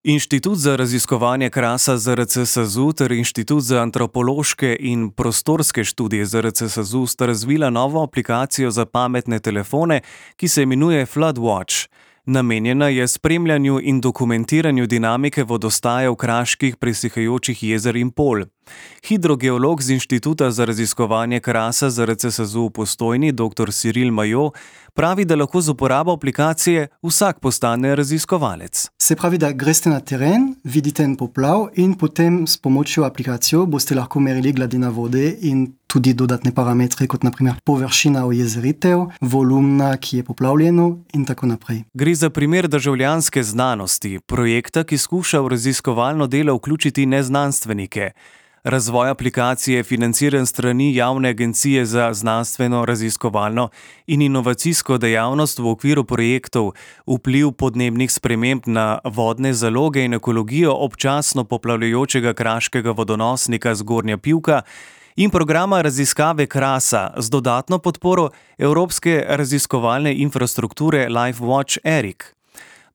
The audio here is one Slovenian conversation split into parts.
Inštitut za raziskovanje Krasa ZRC SAZU ter Inštitut za antropološke in prostorske študije ZRC SAZU sta razvila novo aplikacijo za pametne telefone, ki se imenuje FloodWatch. Namenjena je spremljanju in dokumentiranju dinamike vodostajev kraških presihajočih jezer in polj. Hidrogeolog z Inštituta za raziskovanje Krasa ZRC SAZU v Postojni, dr. Cyril Maillot, pravi, da lahko z uporabo aplikacije vsak postane raziskovalec. Se pravi, da greste na teren, vidite en poplav in potem s pomočjo aplikacijo boste lahko merili gladina vode in tudi dodatne parametre, kot naprimer površina ojezeritev, volumna, ki je poplavljeno in tako naprej. Gre za primer državljanske znanosti, projekta, ki skuša v raziskovalno delo vključiti neznanstvenike. Razvoj aplikacije je financiran strani Javne agencije za znanstveno, raziskovalno in inovacijsko dejavnost v okviru projektov Vpliv podnebnih sprememb na vodne zaloge in ekologijo občasno poplavljajočega kraškega vodonosnika Zgornja Pivka in programa raziskave Krasa z dodatno podporo Evropske raziskovalne infrastrukture LifeWatch ERIC.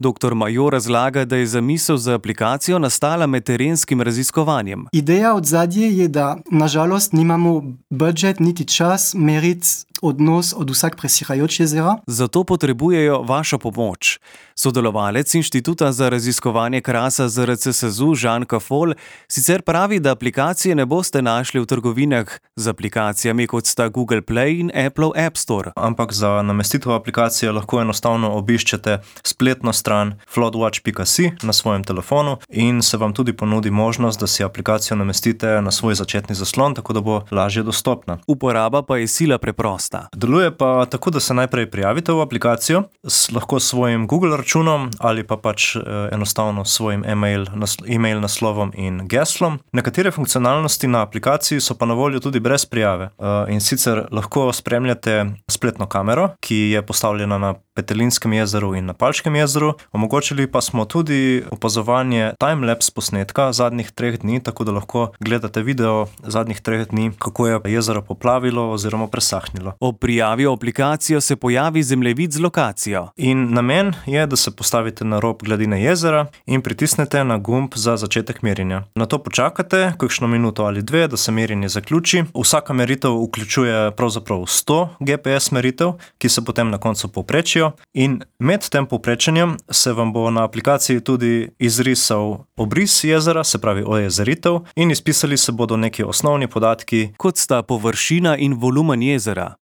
Dr. Maillot razlaga, da je zamisel za aplikacijo nastala med terenskim raziskovanjem. Ideja od zadnje je, da nažalost nimamo budžet niti čas meriti odnos od vsak presihajoč jezera. Zato potrebujejo vašo pomoč. Sodelovalec Inštituta za raziskovanje Krasa ZRC SAZU Žan Kafol sicer pravi, da aplikacije ne boste našli v trgovinah z aplikacijami, kot sta Google Play in Apple App Store. Ampak za namestitev aplikacije lahko enostavno obiščete spletno stran floodwatch.si na svojem telefonu in se vam tudi ponudi možnost, da si aplikacijo namestite na svoj začetni zaslon, tako da bo lažje dostopna. Uporaba pa je sila preprosta. Deluje pa tako, da se najprej prijavite v aplikacijo, lahko s svojim Google računom ali pa pač enostavno s svojim e-mail naslovom in geslom. Nekatere funkcionalnosti na aplikaciji so pa na voljo tudi brez prijave. In sicer lahko spremljate spletno kamero, ki je postavljena na Petelinskem jezeru in na Palškem jezeru. Omogočili pa smo tudi opazovanje timelapse posnetka zadnjih 3 dni, tako da lahko gledate video zadnjih 3 dni, kako je jezero poplavilo oziroma presahnilo. Ob prijavi v aplikacijo se pojavi zemljevid z lokacijo. In namen je, da se postavite na rob gladine jezera in pritisnete na gumb za začetek merjenja. Nato počakate kakšno minuto ali 2, da se merjenje zaključi. Vsaka meritev vključuje pravzaprav 100 GPS meritev, ki se potem na koncu povprečijo. In med tem povprečenjem se vam bo na aplikaciji tudi izrisal obris jezera, se pravi ojezeritev, in izpisali se bodo neki osnovni podatki, kot sta površina in volumen jezera.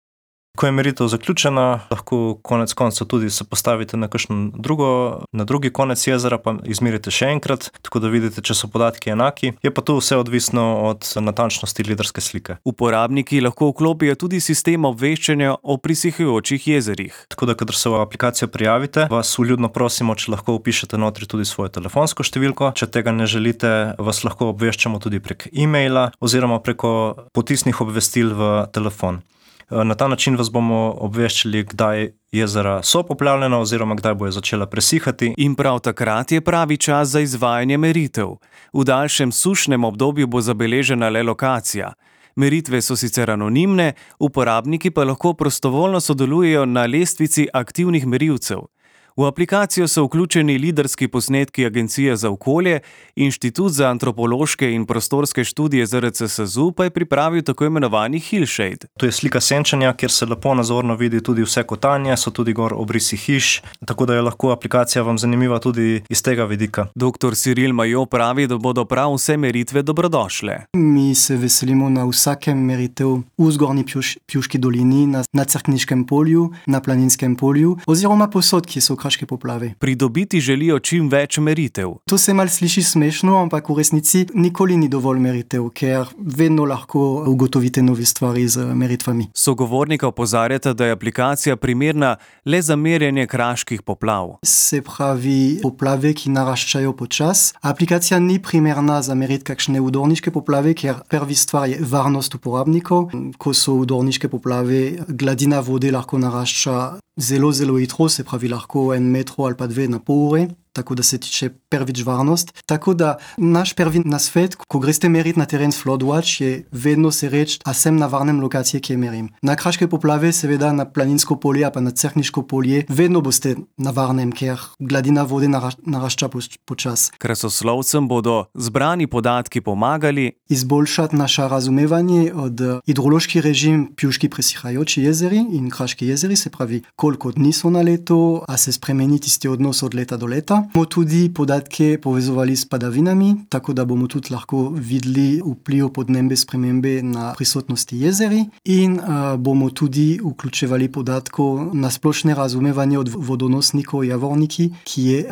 Ko je meritev zaključena, lahko konec koncev tudi se postavite na drugi konec jezera, pa izmerite še enkrat, tako da vidite, če so podatki enaki. Je pa to vse odvisno od natančnosti lidarske slike. Uporabniki lahko vklopijo tudi sistem obveščanja o presihajočih jezerih. Tako da, kadar se v aplikacijo prijavite, vas vljudno prosimo, če lahko vpišete notri tudi svojo telefonsko številko. Če tega ne želite, vas lahko obveščamo tudi prek e-maila oziroma preko potisnih obvestil v telefon. Na ta način vas bomo obveščali, kdaj jezera so poplavljena oziroma kdaj bojo začela presihati. In prav takrat je pravi čas za izvajanje meritev. V daljšem sušnem obdobju bo zabeležena le lokacija. Meritve so sicer anonimne, uporabniki pa lahko prostovoljno sodelujejo na lestvici aktivnih merilcev. V aplikacijo so vključeni lidarski posnetki Agencije za okolje, Inštitut za antropološke in prostorske študije ZRC SAZU pa je pripravil tako imenovani hillshade. To je slika senčanja, kjer se lepo nazorno vidi tudi vse kotanje, so tudi gor obrisi hiš, tako da je lahko aplikacija vam zanimiva tudi iz tega vidika. Dr. Cyril Maillot pravi, da bodo prav vse meritve dobrodošle. Mi se veselimo na vsakem meritev v Zgornji Pivški dolini, na Cerkniškem polju, na Planinskem polju oziroma posod, ki so kraške poplave. Pridobiti želijo čim več meritev. To se mal sliši smešno, ampak v resnici nikoli ni dovolj meritev, ker vedno lahko ugotovite nove stvari z meritvami. Sogovornika opozarjata, da je aplikacija primerna le za merjenje kraških poplav. Se pravi, poplave, ki naraščajo počas. Aplikacija ni primerna za meriti kakšne udorniške poplave, ker prvi stvar je varnost uporabnikov. Ko so udorniške poplave, gladina vode lahko narašča zelo hitro, se pravi lahko 1 metro ali pa 2 na pol ure. tako da se tiče prvič varnost. Tako da naš prvi nasvet, ko greste meriti na teren s Floodwatch, je vedno se reči, a sem na varnem lokaciji, kjer merim. Na kraške poplave, seveda na planinsko polje, pa na Cerkniško polje, vedno boste na varnem, ker gladina vode narašča počas. Krasoslovcem bodo zbrani podatki pomagali izboljšati naše razumevanje od hidrološki režim Pjuški presihajoči jezeri in Kraški jezeri, se pravi, koliko dni so na leto, a se spremeni tisti odnos od leta do leta. Bomo tudi podatke povezovali s padavinami, tako da bomo tudi lahko videli vpliv podnebne spremembe na prisotnosti jezeri in bomo tudi vključevali podatkov na splošne razumevanje od vodonosnikov Javorniki, ki je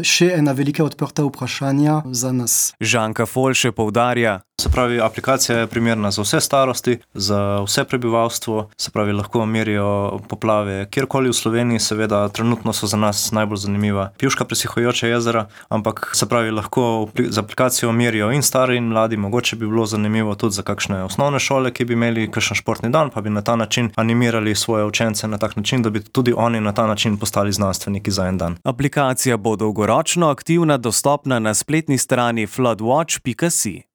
še ena velika odprta vprašanja za nas. Žanka Folše poudarja. Se pravi, aplikacija je primerna za vse starosti, za vse prebivalstvo, se pravi, lahko merijo poplave kjerkoli v Sloveniji, seveda trenutno so za nas najbolj zanimiva Pjuška presihajoča jezera, ampak se pravi, lahko z aplikacijo merijo in stari in mladi, mogoče bi bilo zanimivo tudi za kakšne osnovne šole, ki bi imeli kakšen športni dan, pa bi na ta način animirali svoje učence na tak način, da bi tudi oni na ta način postali znanstveniki za en dan. Aplikacija bo dolgoročno aktivna, dostopna na spletni strani floodwatch.si.